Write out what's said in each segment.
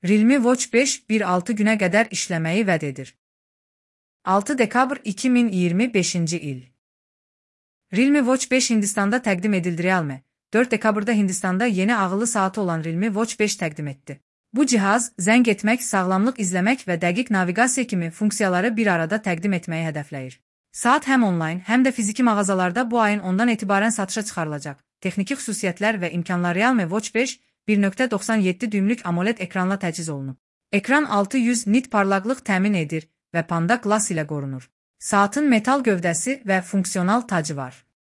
Realme Watch 5 1-6 günə qədər işləməyi vəd edir. 6 dekabr 2025 il. Realme Watch 5 Hindistanda təqdim edildi. Realme 4 dekabrda Hindistanda yeni ağıllı saatı olan Realme Watch 5 təqdim etdi. Bu cihaz, zəng etmək, sağlamlıq izləmək və dəqiq naviqasiya kimi funksiyaları bir arada təqdim etməyi hədəfləyir. Saat həm onlayn, həm də fiziki mağazalarda bu ayın 10-dan etibarən satışa çıxarılacaq. Texniki xüsusiyyətlər və imkanlar. Realme Watch 5 1.97 düymlük AMOLED ekranla təchiz olunub. Ekran 600 nit parlaqlıq təmin edir və Panda Glass ilə qorunur. Saatın metal gövdəsi və funksional tacı var.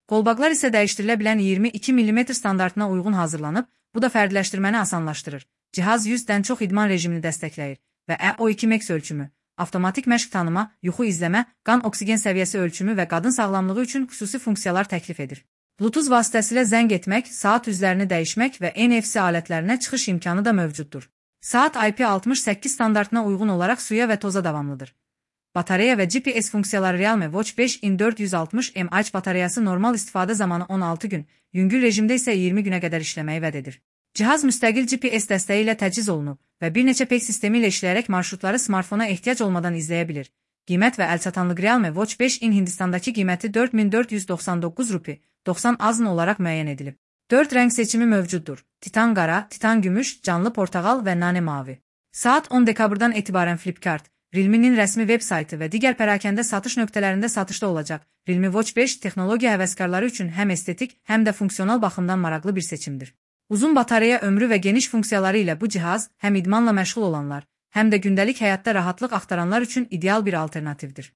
Qolbaqlar isə dəyişdirilə bilən 22 mm standartına uyğun hazırlanıb, bu da fərdləşdirməni asanlaşdırır. Cihaz 100-dən çox idman rejimini dəstəkləyir və EO2 Max ölçümü, avtomatik məşq tanıma, yuxu izləmə, qan oksigen səviyyəsi ölçümü və qadın sağlamlığı üçün xüsusi funksiyalar təklif edir. Bluetooth vasitəsilə zəng etmək, saat üzlərini dəyişmək və NFC alətlərinə çıxış imkanı da mövcuddur. Saat IP68 standartına uyğun olaraq suya və toza davamlıdır. Batareya və GPS funksiyaları. Realme Watch 5'in 460 mAh batareyası normal istifadə zamanı 16 gün, yüngül rejimdə isə 20 günə qədər işləməyi vəd edir. Cihaz müstəqil GPS dəstəyi ilə təchiz olunub və bir neçə PEG sistemi ilə işləyərək marşrutları smartfona ehtiyac olmadan izləyə bilir. Qiymət və əlçatanlıq. Realme Watch 5'in Hindistandakı qiyməti 4499 rupi, 90 AZN olaraq müəyyən edilib. 4 rəng seçimi mövcuddur. Titan qara, titan gümüş, canlı portağal və nane mavi. Saat 10 dekabrdan etibarən Flipkart, Realme'nin rəsmi veb saytı və digər pərakəndə satış nöqtələrində satışda olacaq. Realme Watch 5 texnologiya həvəskarları üçün həm estetik, həm də funksional baxımdan maraqlı bir seçimdir. Uzun batareya ömrü və geniş funksiyaları ilə bu cihaz həm idmanla məşğul olanlar, həm də gündəlik həyatda rahatlıq axtaranlar üçün ideal bir alternativdir.